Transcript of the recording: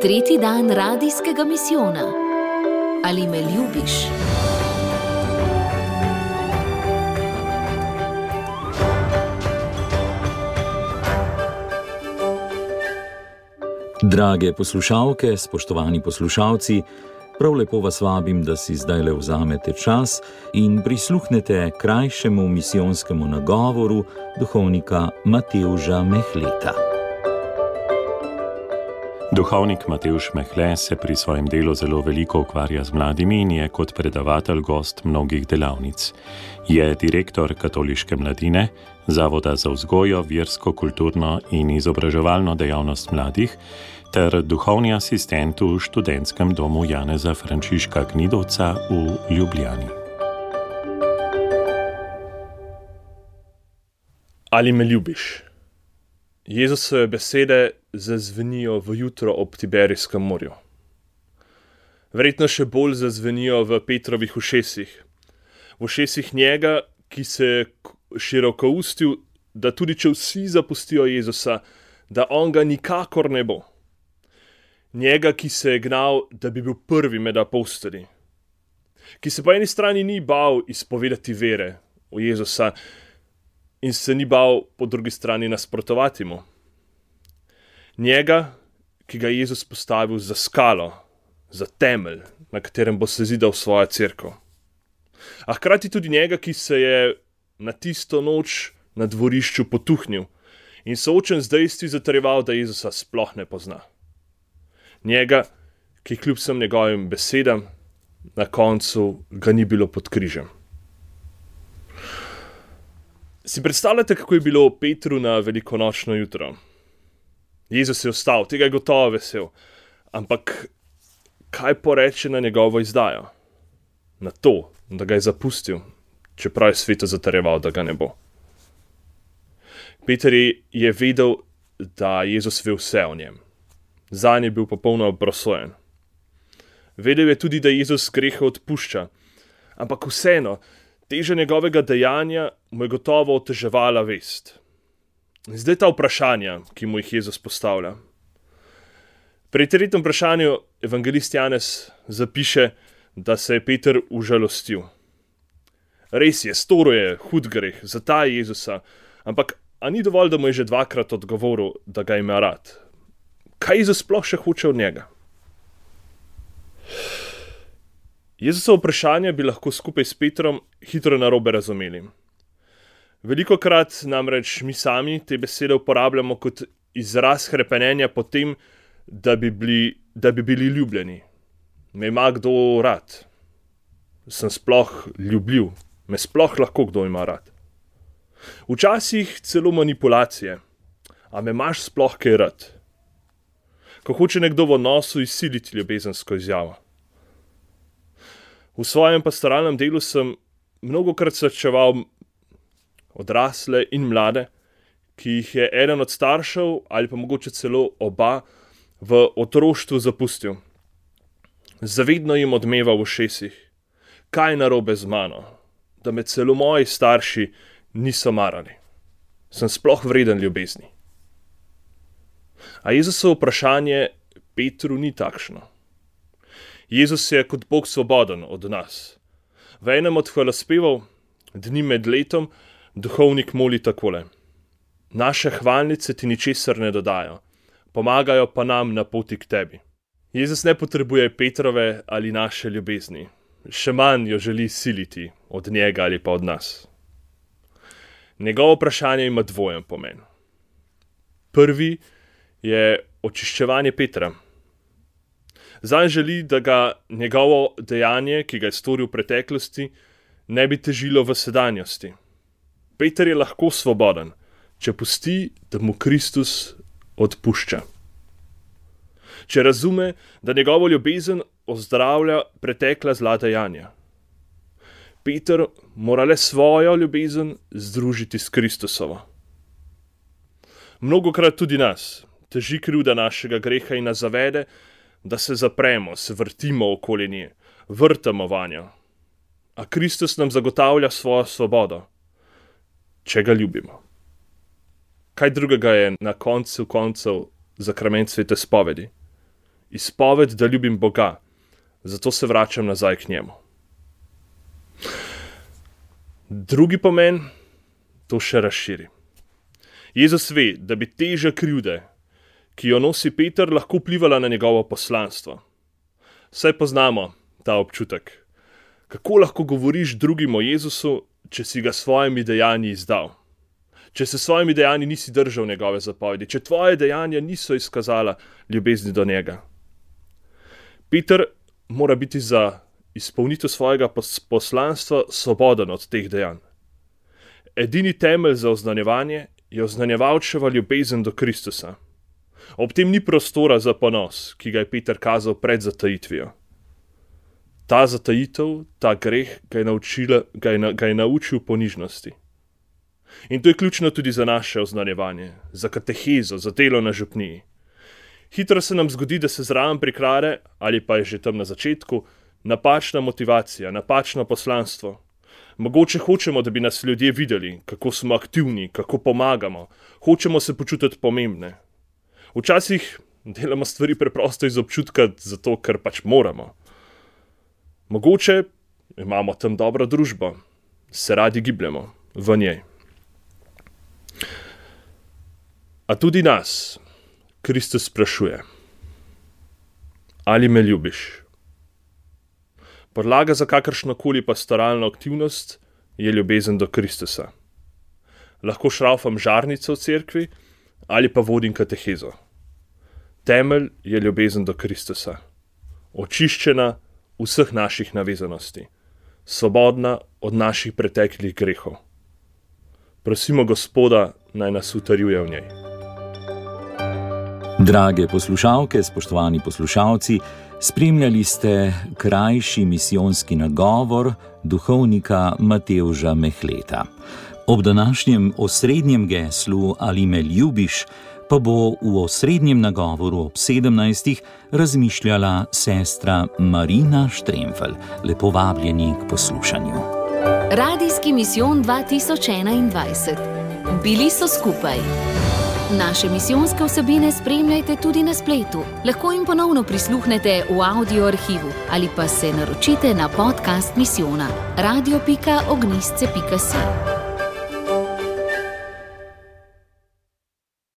Tretji dan radijskega misijona. Ali me ljubiš? Drage poslušalke, spoštovani poslušalci, prav lepo vas vabim, da si zdajle vzamete čas in prisluhnete krajšemu misijonskemu nagovoru duhovnika Matevža Mehleta. Duhovnik Matevž Mehle se pri svojem delu zelo veliko ukvarja z mladimi in je kot predavatelj gost mnogih delavnic. Je direktor Katoliške mladine, Zavoda za vzgojo, versko, kulturno in izobraževalno dejavnost mladih ter duhovni asistent v študentskem domu Janeza Frančiška Gnidovca v Ljubljani. Ali me ljubiš? Jezusove besede zazvenijo v jutro ob Tiberijskem morju. Verjetno še bolj zazvenijo v Petrovih ušesih. V ušesih njega, ki se je širokoustil, da tudi če vsi zapustijo Jezusa, da on ga nikakor ne bo. Njega, ki se je gnal, da bi bil prvi med apostoli. Ki se po eni strani ni bal izpovedati vere v Jezusa in se ni bal po drugi strani nasprotovati mu. Njega, ki ga je Jezus postavil za skalo, za temelj, na katerem bo se zidal svoja cerkev. A hkrati tudi njega, ki se je na tisto noč na dvorišču potuhnil in soočen z dejstvi zatrjeval, da Jezusa sploh ne pozna. Njega, ki kljub vsem njegovim besedam, na koncu ga ni bilo pod križem. Si predstavljate, kako je bilo Petru na velikonočno jutro? Jezus je vstal, tega je gotovo vesel, ampak kaj poreče na njegovo izdajo? Na to, da ga je zapustil, čeprav je svetu zatrjeval, da ga ne bo. Peter je vedel, da Jezus ve vse o njem. Zanj je bil popolno obrosojen. Vedel je tudi, da Jezus grehe odpušča, ampak vseeno, teža njegovega dejanja mu je gotovo oteževala vest. Zdaj ta vprašanja, ki mu jih Jezus postavlja. Pri tretjem vprašanju evangelist Janez zapiše, da se je Peter užalostil. Res je, storil je hud greh, zataja Jezusa, ampak a ni dovolj, da mu je že dvakrat odgovoril, da ga ima rad? Kaj Jezus sploh še hoče od njega? Jezusovo vprašanje bi lahko skupaj s Petrom hitro narobe razumeli. Velikokrat namreč mi sami te besede uporabljamo kot izraz hrepenenja po tem, da bi bili ljubljeni. Me ima kdo rad? Sem sploh ljubljiv? Me sploh lahko kdo ima rad? Včasih celo manipulacije. A me imaš sploh kaj rad? Ko hoče nekdo v odnosu izsiliti ljubezensko izjavo. V svojem pastoralnem delu sem mnogokrat srečeval odrasle in mlade, ki jih je eden od staršev ali pa mogoče celo oba v otroštvu zapustil. Zavedno jim odmeva v ušesih. Kaj narobe z mano? Da me celo moji starši niso marali. Sem sploh vreden ljubezni. A Jezusovo vprašanje Petru ni takšno. Jezus je kot Bog svoboden od nas. V enem od hvalospevov, dni med letom, duhovnik moli takole. Naše hvalnice ti ničesar ne dodajo, pomagajo pa nam na poti k tebi. Jezus ne potrebuje Petrove ali naše ljubezni, še manj jo želi siliti od njega ali pa od nas. Njegovo vprašanje ima dvojen pomen. Prvi je očiščevanje Petra. Zanj želi, da ga njegovo dejanje, ki ga je storil v preteklosti, ne bi težilo v sedanjosti. Peter je lahko svoboden, če pusti, da mu Kristus odpušča. Če razume, da njegovo ljubezen ozdravlja pretekla zla dejanja. Peter mora le svojo ljubezen združiti s Kristusovo. Mnogokrat tudi nas teži krivda našega greha in nas zavede, da se zapremo, se vrtimo okoli nje, vrtamo vanjo. A Kristus nam zagotavlja svojo svobodo, če ga ljubimo. Kaj drugega je na koncu koncev zakrament svete spovedi? izpoved, da ljubim Boga, zato se vračam nazaj k njemu. Drugi pomen to še razširi. Jezus ve, da bi teža krivde, ki jo nosi Peter, lahko vplivala na njegovo poslanstvo. Saj poznamo ta občutek. Kako lahko govoriš drugim o Jezusu, če si ga s svojimi dejanji izdal? Če se s svojimi dejanji nisi držal njegove zapovedi, če tvoje dejanja niso izkazala ljubezni do njega. Peter mora biti za izpolnitev svojega poslanstva svoboden od teh dejanj. Edini temelj za oznanjevanje je oznanjevalčeva ljubezen do Kristusa. Ob tem ni prostora za ponos, ki ga je Peter kazal pred zatajitvijo. Ta zatajitev, ta greh ga je naučil ponižnosti. In to je ključno tudi za naše oznanjevanje, za katehezo, za delo na župniji. Hitro se nam zgodi, da se zraven prikrade, ali pa je že tam na začetku, napačna motivacija, napačno poslanstvo. Mogoče hočemo, da bi nas ljudje videli, kako smo aktivni, kako pomagamo, hočemo se počutiti pomembne. Včasih delamo stvari preprosto iz občutka, zato ker pač moramo. Mogoče imamo tam dobro družbo, se radi gibljemo v njej. A tudi nas Kristus sprašuje: ali me ljubiš? Podlaga za kakršnokoli pastoralno aktivnost je ljubezen do Kristusa. Lahko šraufam žarnico v cerkvi ali pa vodim katehezo. Temelj je ljubezen do Kristusa, očiščena vseh naših navezanosti, svobodna od naših preteklih grehov. Prosimo Gospoda, naj nas utrjuje v njej. Drage poslušalke, spoštovani poslušalci, spremljali ste krajši misijonski nagovor duhovnika Matevža Mehleta. Ob današnjem osrednjem geslu Ali me ljubiš pa bo v osrednjem nagovoru ob 17. razmišljala sestra Marina Štremfelj. Lepo vabljeni k poslušanju. Radijski misijon 2021. Bili so skupaj. Naše misijonske vsebine spremljajte tudi na spletu. Lahko jim ponovno prisluhnete v audio arhivu ali pa se naročite na podcast misijona radio.ognisce.si.